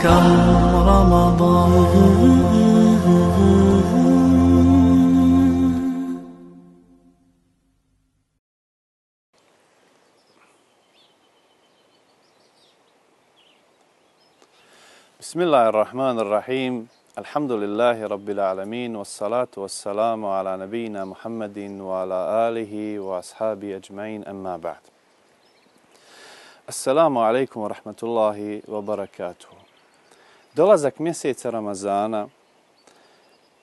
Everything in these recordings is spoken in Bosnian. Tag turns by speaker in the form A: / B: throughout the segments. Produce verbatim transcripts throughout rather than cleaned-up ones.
A: كم رمضان.
B: بسم الله الرحمن الرحيم. الحمد لله رب العالمين والصلاة والسلام على نبينا محمد وعلى آله وأصحابه أجمعين أما بعد. Assalamu alaikum wa rahmatullahi wa barakatuhu. Dolazak mjeseca Ramazana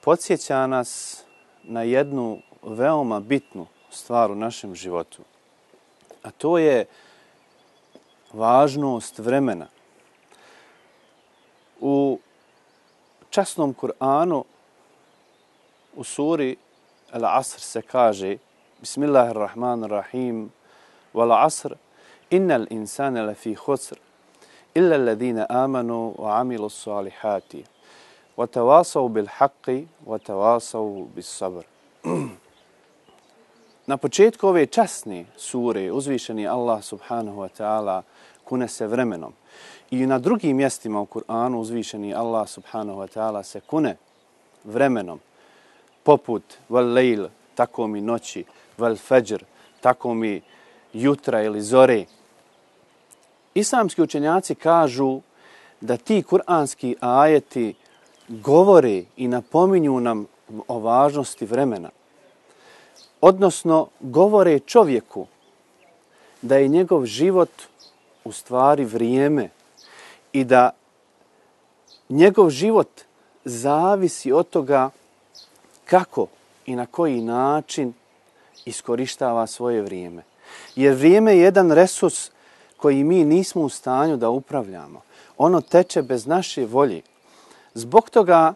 B: podsjeća nas na jednu veoma bitnu stvar u našem životu, a to je važnost vremena. U časnom Kur'anu u suri Al-Asr se kaže Bismillahirrahmanirrahim Wal asr innal insana lafi khusr illa alladhina amanu wa amilu salihati wa tawasaw bil haqqi wa tawasaw bis sabr. Na početku ove časne sure uzvišeni Allah subhanahu wa ta'ala kune se vremenom. I na drugim mjestima u Kur'anu uzvišeni Allah subhanahu wa ta'ala se kune vremenom, poput val lejl, tako mi noći, val fajr, tako mi jutra ili zore. Islamski učenjaci kažu da ti kur'anski ajeti govore i napominju nam o važnosti vremena. Odnosno, govore čovjeku da je njegov život u stvari vrijeme i da njegov život zavisi od toga kako i na koji način iskorištava svoje vrijeme. Jer vrijeme je jedan resurs koji mi nismo u stanju da upravljamo. Ono teče bez naše volje. Zbog toga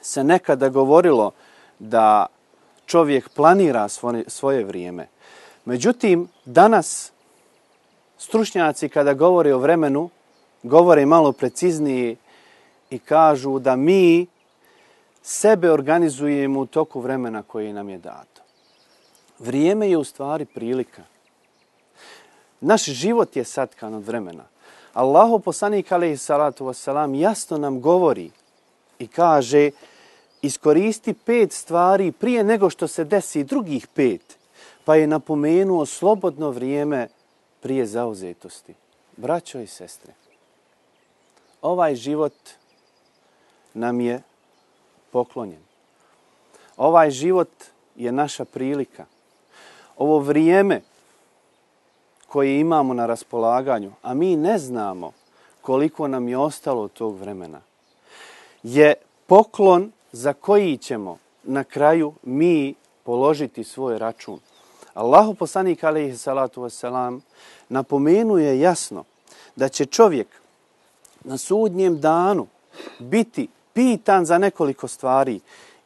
B: se nekada govorilo da čovjek planira svoje, svoje vrijeme. Međutim, danas stručnjaci kada govore o vremenu, govore malo preciznije i kažu da mi sebe organizujemo u toku vremena koje nam je dato. Vrijeme je u stvari prilika. Naš život je satkan od vremena. Allahov poslanik alejhi salatu vesselam jasno nam govori i kaže iskoristi pet stvari prije nego što se desi drugih pet, pa je napomenuo slobodno vrijeme prije zauzetosti. Braćo i sestre, ovaj život nam je poklonjen. Ovaj život je naša prilika. Ovo vrijeme koje imamo na raspolaganju, a mi ne znamo koliko nam je ostalo od tog vremena, je poklon za koji ćemo na kraju mi položiti svoj račun. Allahu poslanik alejhi salatu vesselam napomenuje jasno da će čovjek na sudnjem danu biti pitan za nekoliko stvari.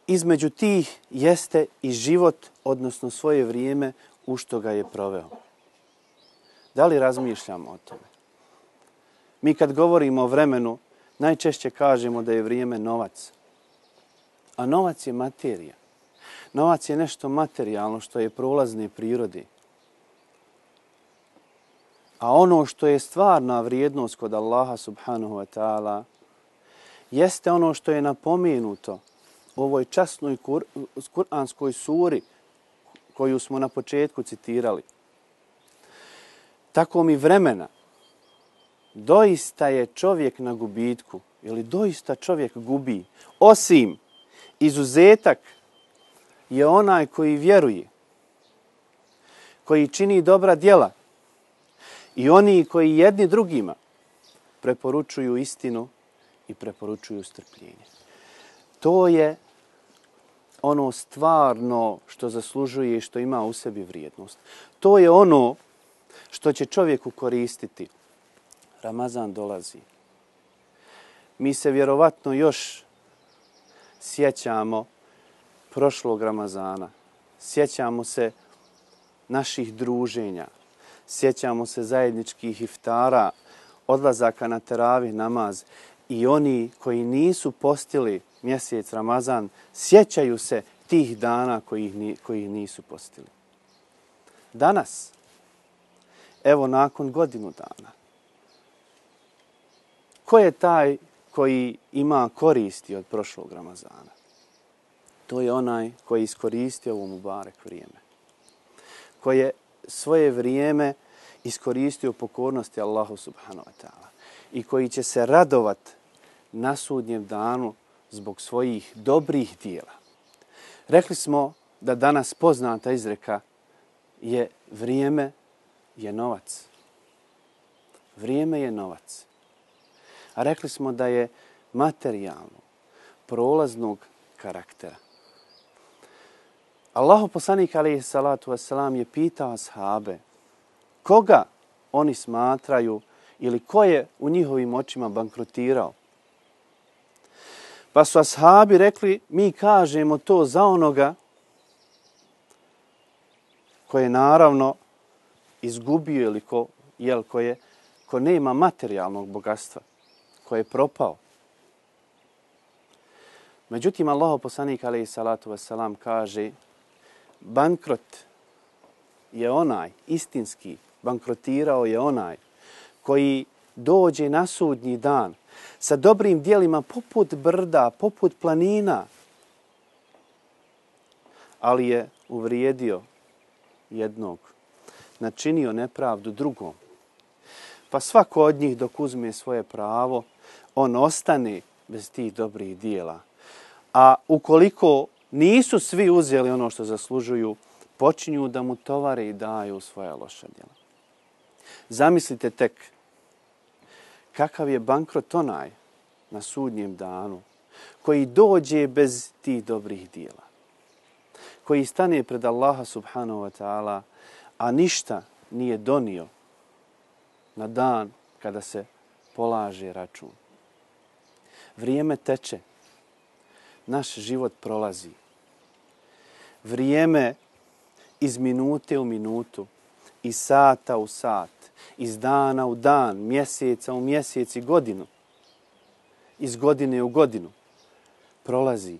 B: Između tih jeste i život, odnosno svoje vrijeme u što ga je proveo. Da li razmišljamo o tome? Mi kad govorimo o vremenu, najčešće kažemo da je vrijeme novac. A novac je materija. Novac je nešto materijalno što je prolazne prirode. A ono što je stvarna vrijednost kod Allaha subhanahu wa ta'ala jeste ono što je napomenuto u ovoj časnoj kur, kuranskoj suri koju smo na početku citirali. Tako mi vremena, doista je čovjek na gubitku ili doista čovjek gubi, osim izuzetak je onaj koji vjeruje, koji čini dobra djela i oni koji jedni drugima preporučuju istinu i preporučuju strpljenje. To je ono stvarno što zaslužuje i što ima u sebi vrijednost. To je ono što će čovjeku koristiti. Ramazan dolazi. Mi se vjerovatno još sjećamo prošlog Ramazana. Sjećamo se naših druženja. Sjećamo se zajedničkih iftara, odlazaka na teravih namaz. I oni koji nisu postili mjesec Ramazan, sjećaju se tih dana koji ih nisu postili. Danas, evo nakon godinu dana, Ko je taj koji ima koristi od prošlog Ramazana? To je onaj koji je iskoristio ovo mubarek vrijeme. Koji je svoje vrijeme iskoristio pokornosti Allahu subhanahu wa ta'ala i koji će se radovat na sudnjem danu zbog svojih dobrih dijela. Rekli smo da danas poznata izreka je vrijeme je novac. Vrijeme je novac. A rekli smo da je materijalno, prolaznog karaktera. Allahu poslanik alejhi salatu vesselam je pitao ashabe koga oni smatraju ili ko je u njihovim očima bankrotirao. Pa su ashabi rekli, mi kažemo to za onoga koje je naravno izgubio ili ko, jel, ko, je, ko nema materijalnog bogatstva, ko je propao. Međutim, Allahov poslanik alejhi salatu vesselam kaže bankrot je onaj, istinski bankrotirao je onaj koji dođe na sudnji dan sa dobrim dijelima poput brda, poput planina, ali je uvrijedio jednog, načinio nepravdu drugom. Pa svako od njih dok uzme svoje pravo, on ostane bez tih dobrih dijela. A ukoliko nisu svi uzeli ono što zaslužuju, počinju da mu tovare i daju svoja loša djela. Zamislite tek kakav je bankrot onaj na sudnjem danu koji dođe bez tih dobrih dijela, koji stane pred Allaha subhanahu wa ta'ala, a ništa nije donio na dan kada se polaže račun. Vrijeme teče, naš život prolazi. Vrijeme iz minute u minutu, iz sata u sat, iz dana u dan, mjeseca u mjesec i godinu, iz godine u godinu, prolazi,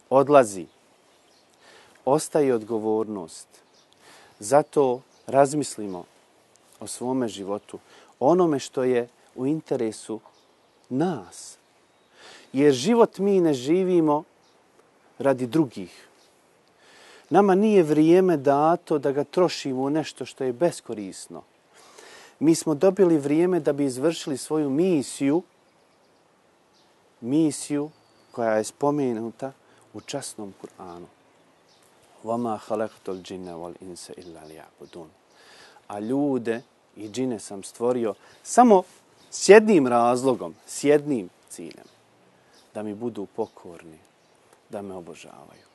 B: odlazi, ostaje odgovornost. Zato razmislimo o svome životu, onome što je u interesu nas. Jer život mi ne živimo radi drugih. Nama nije vrijeme dato da ga trošimo u nešto što je beskorisno. Mi smo dobili vrijeme da bi izvršili svoju misiju, misiju koja je spomenuta u časnom Kur'anu. وَمَا خَلَقْتُ الْجِنَّ وَالْإِنسَ إِلَّا لِيَعْبُدُونَ. A ljude i džine sam stvorio samo s jednim razlogom, s jednim ciljem. Da mi budu pokorni, da me obožavaju.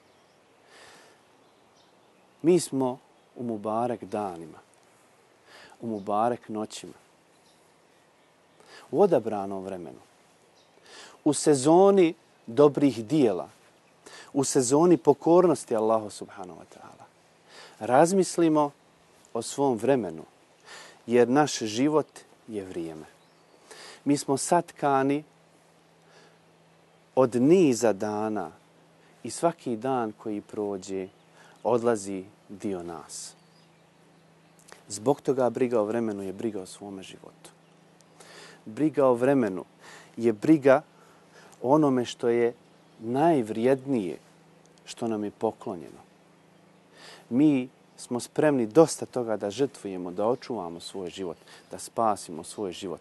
B: Mi smo u mubarek danima, u mubarek noćima, u odabranom vremenu, u sezoni dobrih dijela, u sezoni pokornosti Allahu subhanahu wa ta'ala. Razmislimo o svom vremenu, jer naš život je vrijeme. Mi smo satkani od niza dana i svaki dan koji prođe odlazi dio nas. Zbog toga briga o vremenu je briga o svome životu. Briga o vremenu je briga o onome što je najvrijednije, što nam je poklonjeno. Mi smo spremni dosta toga da žrtvujemo, da očuvamo svoj život, da spasimo svoj život,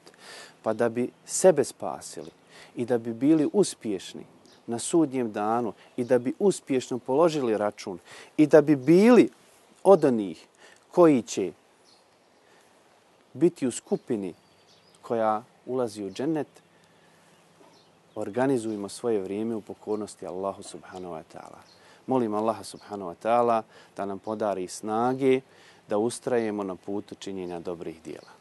B: pa da bi sebe spasili i da bi bili uspješni na sudnjem danu i da bi uspješno položili račun i da bi bili od onih koji će biti u skupini koja ulazi u džennet, organizujemo svoje vrijeme u pokornosti Allahu subhanahu wa ta'ala. Molim Allaha subhanahu wa ta'ala da nam podari snage da ustrajemo na putu činjenja dobrih dijela.